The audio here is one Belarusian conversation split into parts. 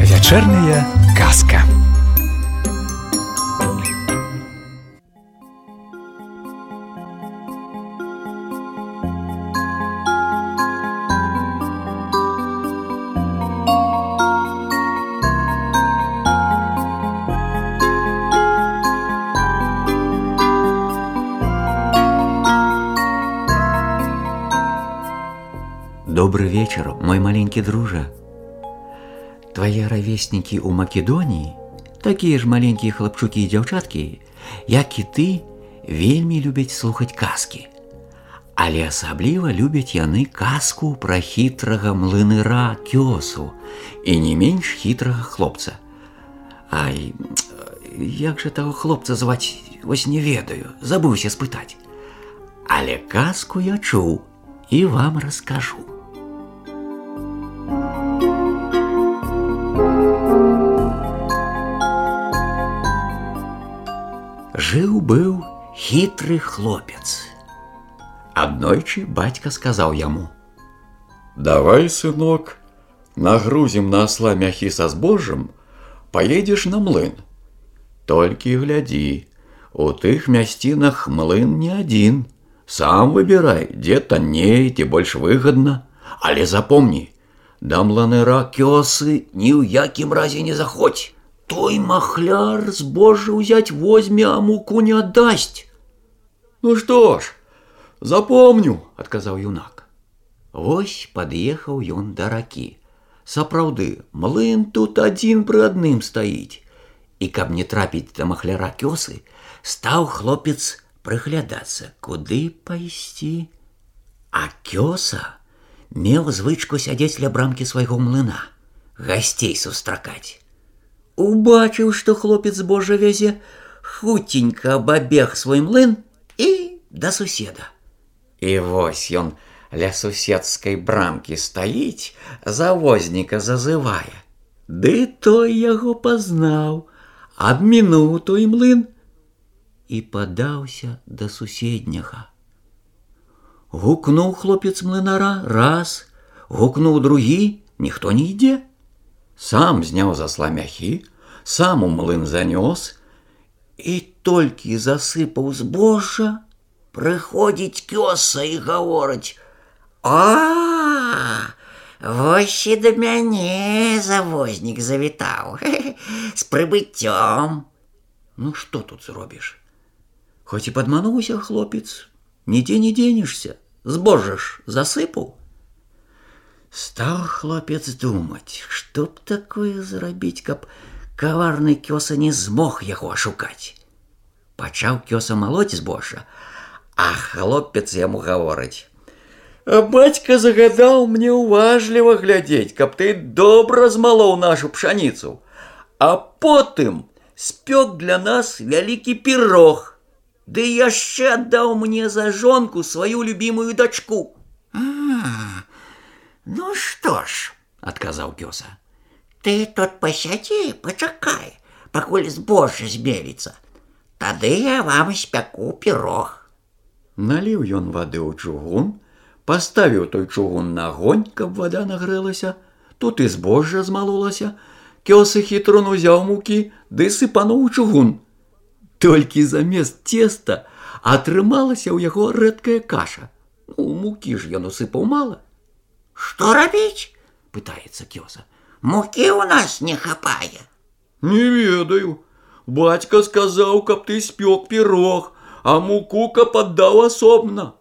Вечерняя казка. Добрый вечер, мой маленький дружа. Твои ровесники у Македонии, такие ж маленькие хлопчуки и дзяўчаткі, як і ты, вельмі любяць слухаць казкі. Але асабліва любяць яны казку пра хітрага млыныра Кёсу і не менш хітрага хлопца. Ай, як жа таго хлопца зваць, вось не ведаю, забыўся спытаць. Але казку я чуў і вам раскажу. Жыў-быў хітры хлопец. Аднойчы бацька сказаў яму: «Давай, сынок, нагрузім на осла мяхі са збожжам, поедзеш на млын. Толькі глядзі, у тых мясцінах млын не адзін. Сам выбірай, дзе танней, ці больш выгадна. Але запомні, да млынара Кёсы ні ў якім разе не заходзь. Той махляр збожжа ўзяць возьме, а муку не аддасць». «Ну што ж, запомню», – адказаў юнак. Вось пад'ехаў ён да ракі. Сапраўды, млын тут адзін пры адным стаіць. І каб не трапіць да махляра Кёсы, стаў хлопец прыглядацца, куды пайсці. А Кёса меў звычку сядзець ля брамкі свайго млына, гасцей сустракаць. Убачыў, што хлопец збожжа вязе, хуценька абабег свой млын і да суседа. І вось ён ля суседскай брамкі стаіць, завозніка зазывае. Ды той яго пазнаў, абмінуў той млын і падаўся да суседняга. Гукнуў хлопец млынара раз, гукнуў другі, ніхто не ідзе. Сам зняў з асла мяхі, сам у млын занёс, і толькі засыпаў збожжа, прыходзіць Кёса і гаворыць: «А, вось і да мяне завознік завітаў, з прыбыццём». Ну што тут зробіш? Хоць і падмануўся хлопец, нідзе не дзенешся, збожжа ж засыпаў. Стаў хлопец думаць, што б такое зрабіць, каб каварны Кёса не змог яго ашукаць. Пачаў Кёса малоць збожжа, а хлопец яму гаворыць: «Бацька загадаў мне уважліва глядзець, каб ты добра змалоў нашу пшаніцу, а потым спёк для нас вялікі пірог, ды яшчэ аддаў мне за жонку сваю любімую дачку». «Ну што ж, – адказаў Кёса, – ты тут пасядзі, пачакай, пакуль збожжа змеліцца. Тады я вам спяку пірог». Наліў ён вады ў чугун, паставіў той чугун на агонь, каб вада нагрэлася. Тут і збожжа змалолася. Кёса хітрун узяў мукі, ды сыпануў у чугун. Толькі замест цеста атрымалася ў яго рэдкая каша. Ну, мукі ж ён усыпаў мала. «Што рабіць?» – пытаецца Кёса. «Мукі ў нас не хапае». «Не ведаю. Бацька сказаў, каб ты спёк пірог, а муку каб аддаў асобна».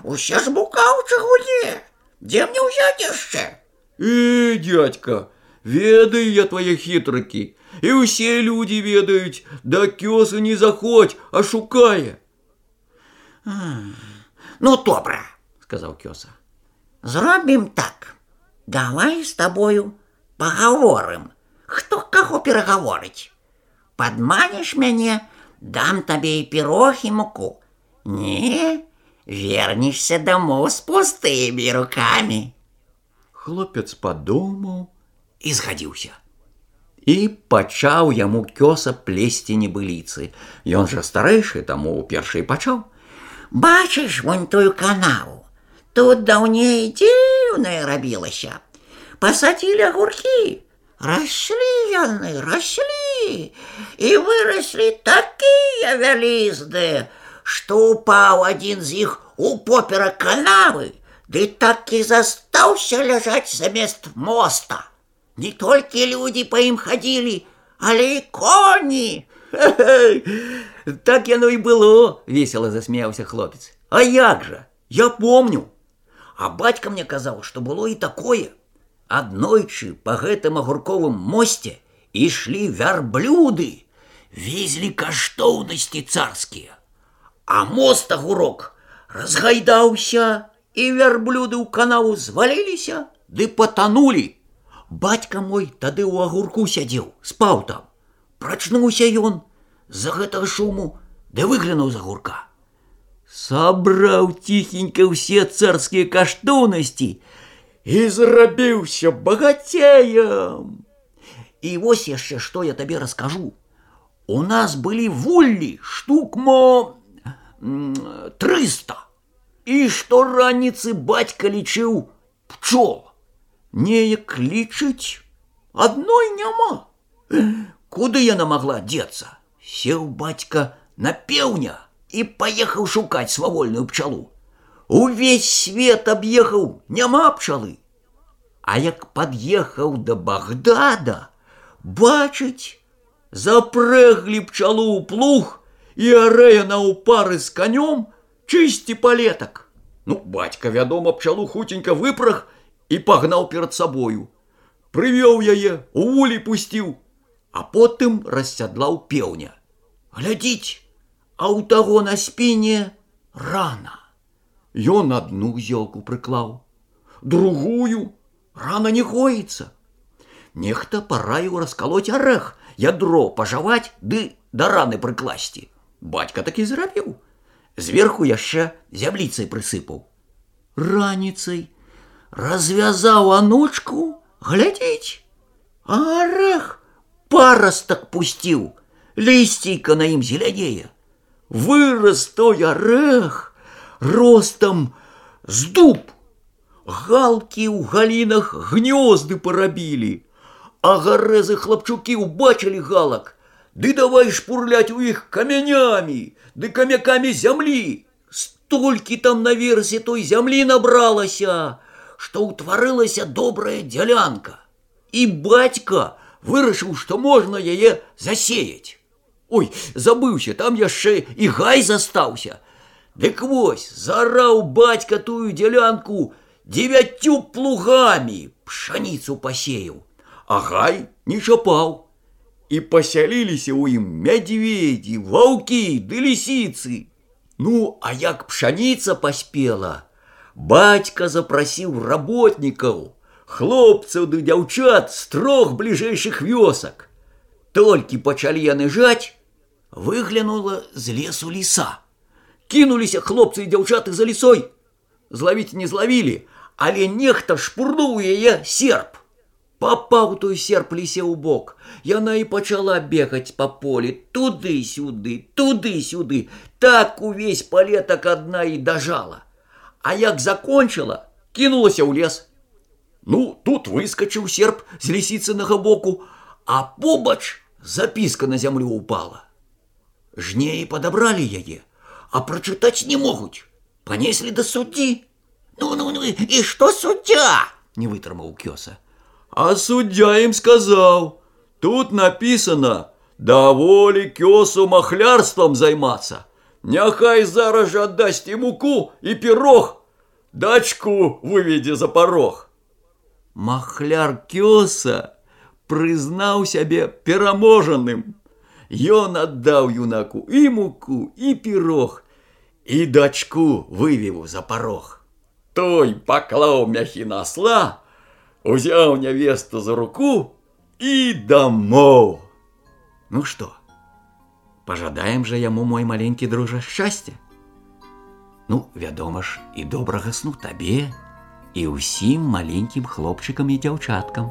«Усе ж мука ў чыгуне. Дзе мне ўзяць яшчэ?» Дядька, ведаю я твае хітрыкі. І ўсе людзі ведаюць, да Кёсы не заходзь, а шукае». «Ну, добра», – сказаў Кёса. «Зробім так. Давай з табою пагаворым, хто каго перагаворыць. Падманеш мяне, дам табе і пірог, і муку. Не, вернешся дамоў з пустымі рукамі». Хлопец падумаў і згадзіўся. І пачаў яму кёса плесці небыліцы. Ён жа старэйшы, таму першы і пачаў. Бачыш вон тую канаву? Тут даўней дзіўнае рабілася. Пасадзілі агуркі. Раслі яны, раслі. І выраслі такія вялізныя, што упаў адзін з іх упоперак канавы, ды так і застаўся ляжаць замест моста. Не толькі людзі па ім хадзілі, але і коні. Так яно і было, весела засмяяўся хлопец. А як жа? Я помню. А бацька мне казаў, што было і такое. Аднойчы па гэтым агурковым мосце ішлі вярблюды, везлі каштоўнасці царскія. А мост агурок разгайдаўся, і вярблюды ў канаву зваліліся, ды патанулі. Бацька мой тады ў агурку сядзеў, спаў там. Прачнуўся ён з-за гэтага шуму, ды выглянуў з агурка. Сабраў ціхенька ўсе царскія каштоўнасці і зрабіўся багацеем. І вось яшчэ што я табе раскажу. У нас былі вуллі штук 300. І штораніцы бацька лічыў пчол. Неяк лічыць, адной няма. Куды яна магла дзецца? Сеў бацька на пеўня і паехаў шукаць свавольную пчалу. Увесь свет аб'ехаў, няма пчалы. А як пад'ехаў да Багдада, бачыць, запрэглі пчалу ў плуг і арэ яна ў пары з канём чысці палетак. Ну, бацька, вядома, пчалу хутенька выпраг і пагнаў перад сабою. Прывёў яе, у вулей пусціў, а потым рассядлаў пеўня. Глядзіць, а ў таго на спіне рана. Ён адну зёлку прыклаў, другую, рана не гоіцца. Нехта параіў раскалоць арэх, ядро пажаваць ды да раны прыкласці. Бацька такі зрабіў. Зверху яшчэ зямліцай прысыпаў. Раніцай развязаў анучку, глядзіць, а арэх парастак пусціў, лісцейка на ім зелянее. Вырас той арэх ростам з дуб. Галкі ў галінах гнёзды парабілі, а гарэзы хлапчукі ўбачылі галак, ды давай шпурляць у іх камянямі, ды камякамі зямлі. Столькі там наверсе той зямлі набралася, што ўтварылася добрая дзялянка. І бацька вырашыў, што можна яе засеяць. Ой, забыўся, там яшчэ і гай застаўся. Дык вось, зараў бацька тую дзялянку 9 плугамі, пшаніцу пасеяў, а гай не чапаў. І пасяліліся ў ім мядзведзі, ваўкі ды лісіцы. Ну, а як пшаніца паспела, бацька запрасіў работнікаў, хлопцаў ды дзяўчат з 3 бліжэйшых вёсак. Толькі пачалі яны жаць, выглянула з лесу ліса. Кінуліся хлопцы і дзяўчаты за лісой. Злавіць не злавілі, але нехта шпурнуў яе серп. Папаў той серп лісе ў бок. Яна і пачала бегаць па полі, туды-сюды, туды-сюды. Так увесь палетак адна і дажала. А як закончыла, кінулася ў лес. Ну, тут выскачыў серп з лісіцынага боку, а побач запіска на зямлю упала. Жнеі падабралі яе, а прачытаць не могуць. Панеслі да суддзі. Ну, і што суддзя? Не вытрымаў кёса. А суддзя ім сказаў, тут напісана, даволі кёсу махлярствам займацца. Няхай зараз жа аддасць і муку, і пірог, дачку выведзе за парог. Махляр кёса прызнаў сябе пераможаным. Ён аддаў юнаку і муку, і пірог, і дачку вывеў за парог. Той паклаў мяхі на асла, узяў нявесту за руку і дамоў. Ну што, пажадаем жа яму, мой маленькі дружа, шчасця? Ну, вядома ж, і добрага сну табе, і ўсім маленькім хлопчыкам і дзяўчаткам.